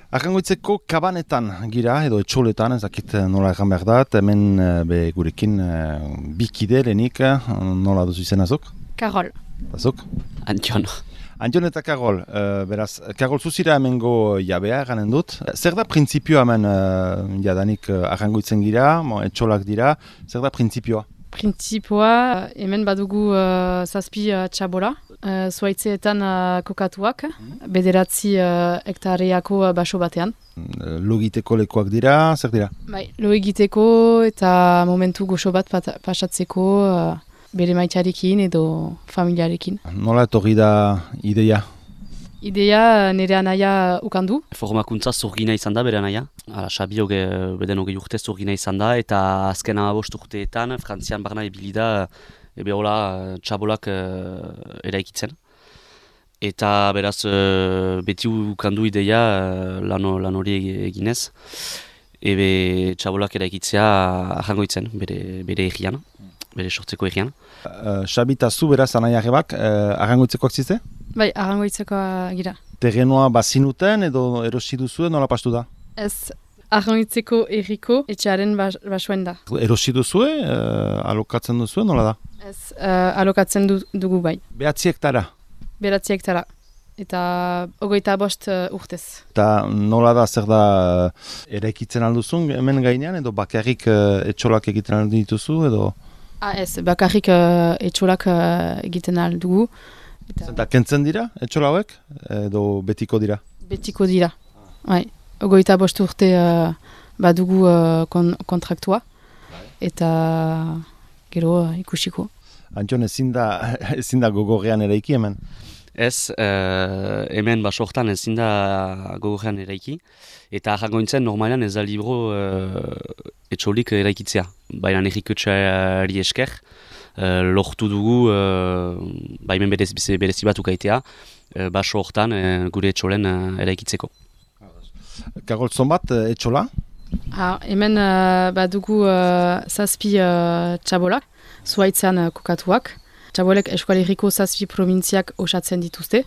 Arrangoitzeko kabanetan gira, edo etxoletan, ezakit nola egan behar da, hemen gurekin bikide lehenik, nola duzu izanazok? Karol. Azok? Antion. Antion eta Karol, beraz, Karol zuzira hemengo jabea eganen dut. Zer da printzipioa hemen jadanik arrangoitzen gira, etxolak dira, zer da printzipioa? Printzipioa, hemen badugu zazpi txabola, zuaitzeetan kokatuak, bederatzi hektareako baso batean. Lo egiteko lekuak dira, zer dira? Bai, lo egiteko eta momentu goxo bat pasatzeko bere maitarekin edo familiarekin. Nola etorri da ideia? Idea nire anaia ukandu. Formakuntza zurgina izan da bere anaia. Xabi beden hogei urte zurgina izan da eta azken 15 urteetan Frantzian barna ibili da ebe hola txabolak eraikitzen. Eta beraz beti ukandu ideia lan hori eginez. Ebe txabolak eraikitzea arrangoitzen bere egian, bere sortzeko egian. Xabi eta zu beraz anaiarrebak arrangoitzekoak zizte? Bai, arrangoitzeko gira. Terrenoa bazinuten edo erosi duzue nola pastu da? Ez, arrangoitzeko erriko etxearen basoen da. Erosi duzue, alokatzen duzue nola da? Ez, alokatzen dugu bai. Behatzi hektara? Beratzi hektara. Eta 25 urtez. Eta nola da, zer da, eraikitzen alduzun hemen gainean edo bakarrik etxolak egiten aldu dituzu edo? Ez, bakarrik etxolak egiten aldugu. Eta kentzen dira etxola hauek edo betiko dira? Betiko dira. Bai, 25 urte badugu kontraktua eta gero ikusiko. Antion, ezin da gogorrean eraiki hemen? Ez, hemen baso hortan ezin da gogorrean eraiki. Eta arrangointzen normalean ez da libro etxolik eraikitzea. Baina errikotxeari esker, lortu dugu baimen berezi bat ukaitea baso hortan gure etxolen eraikitzeko. Karol, zonbat etxola? Hemen badugu zazpi txabolak, zuaitzean kokatuak. Txabolek Euskal Herriko zazpi probintziak osatzen dituzte.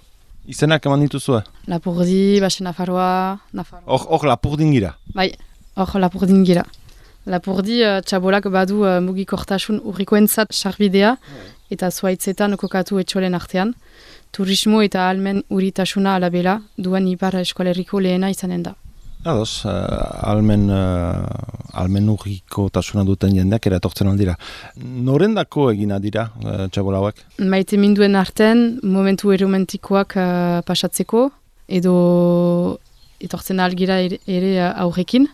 Izenak eman dituzue? Lapurdi, Baxe Nafarroa, Nafarroa. Hor Lapurdin gira? Bai, hor Lapurdin gira. Lapurdi txabolak badu mugikortasun urrikoentzat sarbidea eta zuaitzetan kokatu etxolen artean. Turismo eta ahalmen uritasuna alabela duen Ipar Euskal Herriko lehena izanen da. Ados, ahalmen urrikotasuna duten jendeak eratortzen aldira. Norendako egina dira txabola hauek? Maite minduen artean momentu eromantikoak pasatzeko edo etortzen algira ere aurrekin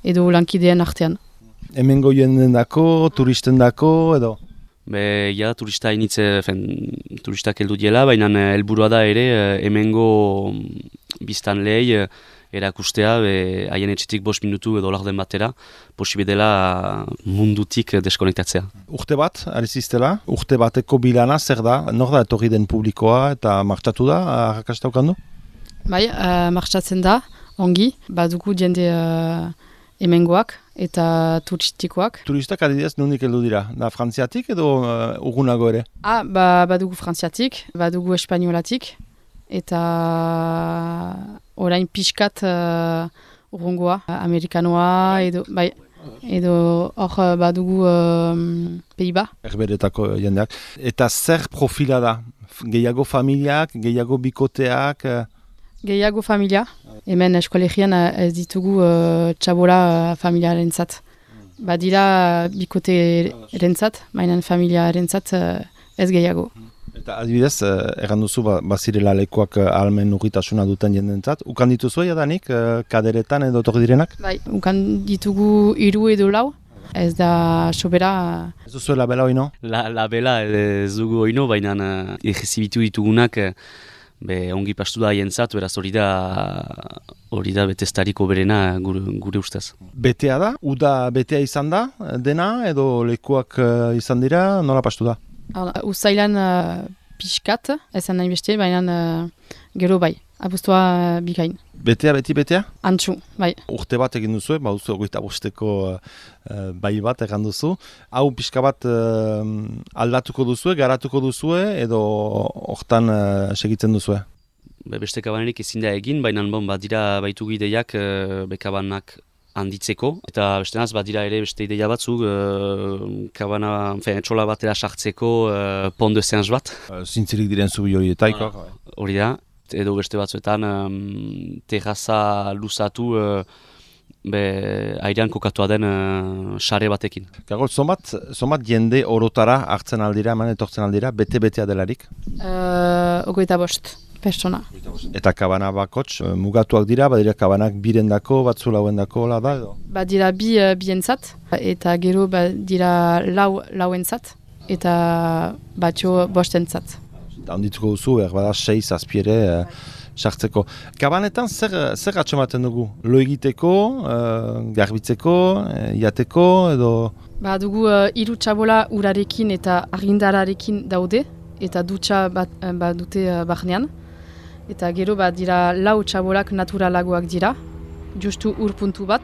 edo lankideen artean. Hemengo jendendako, turistendako edo? Ja, turistak heldu diela, baina helburua da ere hemengo biztanleei erakustea, haien etxetik 5 minutu edo laurden batera, posibe dela mundutik deskonektatzea. Urte bat, ari ziztela, urte bateko bilana zer da? Nor da etorri den publikoa eta martxatu da, arrakasta ukandu? Bai, martxatzen da, ongi, badugu jende hemengoak eta turistikoak. Turistak adidez nondik heldu dira? Da frantziatik edo urgunago ere? Badugu frantziatik, badugu espainolatik eta orain pixkat urrungoa, amerikanoa edo hor badugu Peiba. Herberetako jendeak. Eta zer profila da? Gehiago familiak, gehiago bikoteak? Gehiago familia. Hemen eskolegian ez ditugu txabola familiarentzat. Badira bikote erentzat, mainan familia erentzat ez gehiago. Eta adibidez, erran duzu bazirela lekuak ahalmen urritasuna duten jendentzat. Ukan dituzu jadanik kaderetan edo torri direnak? Bai, ukan ditugu 3 edo 4. Ez da sobera. Ez duzu labela oino? Labela ez dugu oino, baina egizibitu ditugunak ongi pastu da haientzat, beraz hori da betestariko berena gure ustez. Betea da? Uda betea izan da dena edo lekuak izan dira? Nola pastu da? Uzailan pixkat, ezan nahi beste, baina gero bai, abuztua bikain. Betea, betea? Antxu, bai. Urte bat egin duzu, baduzu 25 bai bat egin duzu. Hau pixka bat aldatuko duzu, garatuko duzu edo hortan segitzen duzu? beste kabanerik ezin da egin, baina badira baitu ideiak kabanak handitzeko, eta beste naz, badira ere beste ideia batzuk, kabana, etxola batera sartzeko pont de Saint bat. Zintzirik diren zubi horietaiko. Hori da, edo beste batzuetan terraza luzatu airean kokatua den sare batekin. Karol, somat jende orotara hartzen aldira, etortzen aldira, bete-betea delarik? 25 pertsona. Eta kabana bakots, mugatuak dira, badira kabanak birendako, batzu lauendako, hola da edo? Badira bientzat, eta gero badira lauentzat, eta batxo bostentzat. Eta ondituko duzu, bada 6 azpiere sartzeko. Kabanetan zer atxamaten dugu? Lo egiteko, garbitzeko, jateko edo? Dugu 3 txabola urarekin eta argindararekin daude, eta dutxa dute barnean. Eta gero dira 4 txabolak naturalagoak dira, justu urpuntu bat,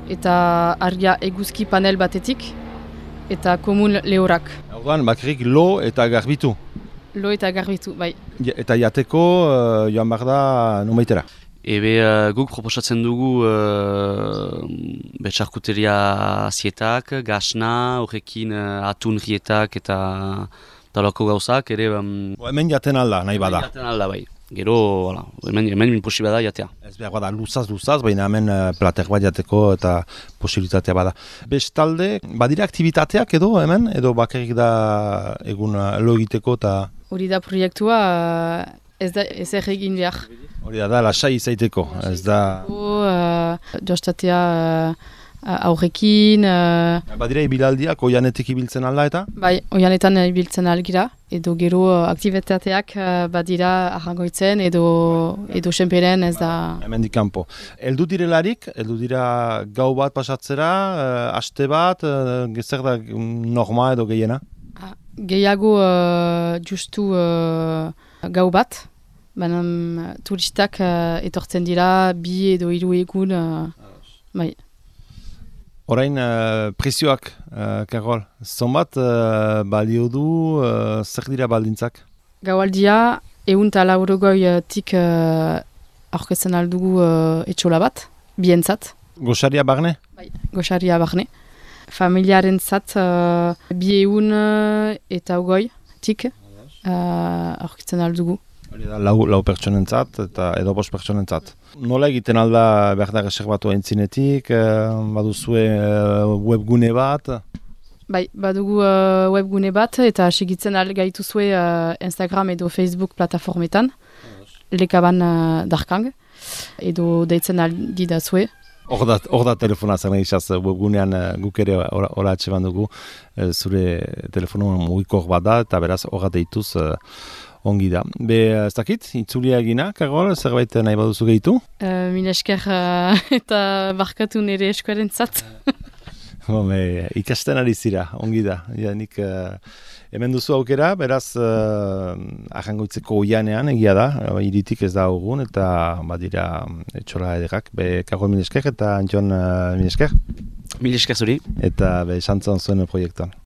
eta argia eguzki panel batetik, eta komun lehorak. Orduan, bakarrik lo eta garbitu? Lo eta garbitu, bai. Eta jateko joan behar da numeitera? Guk proposatzen dugu betxarkuteria zietak, gasna, horrekin atun rietak eta talako gauzak, ere... Hemen jaten alda, nahi bada? Hemen jaten alda, bai. Gero, hemen posible da jatea. Ez behar bada luzaz, baina hemen plater bat jateko eta posibilitatea bada. Bestalde, badira aktivitateak edo hemen, edo bakarrik da egun lo egiteko eta... Hori da proiektua ez egin behar. Hori da, lasai izaiteko, ez da... Jostatea aurrekin... Badira ibilaldiak, oianetik ibiltzen alda eta? Bai, oianetan ibiltzen algira, edo gero aktibitateak badira arrangoitzen edo senperen ez da... Hemendik kanpo. Eldu direlarik, eldu dira gau bat pasatzera, aste bat, zer da norma edo gehiena? Gehiago justu gau bat, baina turistak etortzen dira 2 edo 3 egun, bai. Orain prezioak, Karol, zonbat balio du, zer dira baldintzak? Gaualdia, 150 aurkezten aldugu etxola bat, bientzat. Gosaria barne? Bai, gosaria barne. Familiaren zat 200 eta 20 tik aurkitzen aldugu. Lau pertsonentzat eta edo 5 pertsonentzat. Nola egiten alda behar da reserbatu entzinetik, baduzue webgune bat? Bai, badugu webgune bat eta segitzen gaituzue Instagram edo Facebook plataformetan, lekaban darkang, edo deitzen aldi da zue. Hor da telefona zer nahi izaz, webgunean guk ere hola atseban dugu, zure telefonoan mugikor bat da, eta beraz horra deituz ongi da. Ez dakit, itzulia egina, Karol, zerbait nahi baduzu gehitu? Mila esker eta barkatu nire eskuaren zat. Ikasten ari zira, ongi da. Nik hemen duzu aukera, beraz ahangoitzeko oianean egia da, iritik ez da hogun, eta badira etxola ederrak. Karol, mila esker eta Jon, mila esker. Mila esker zuri. Eta santzon zuen proiektuan.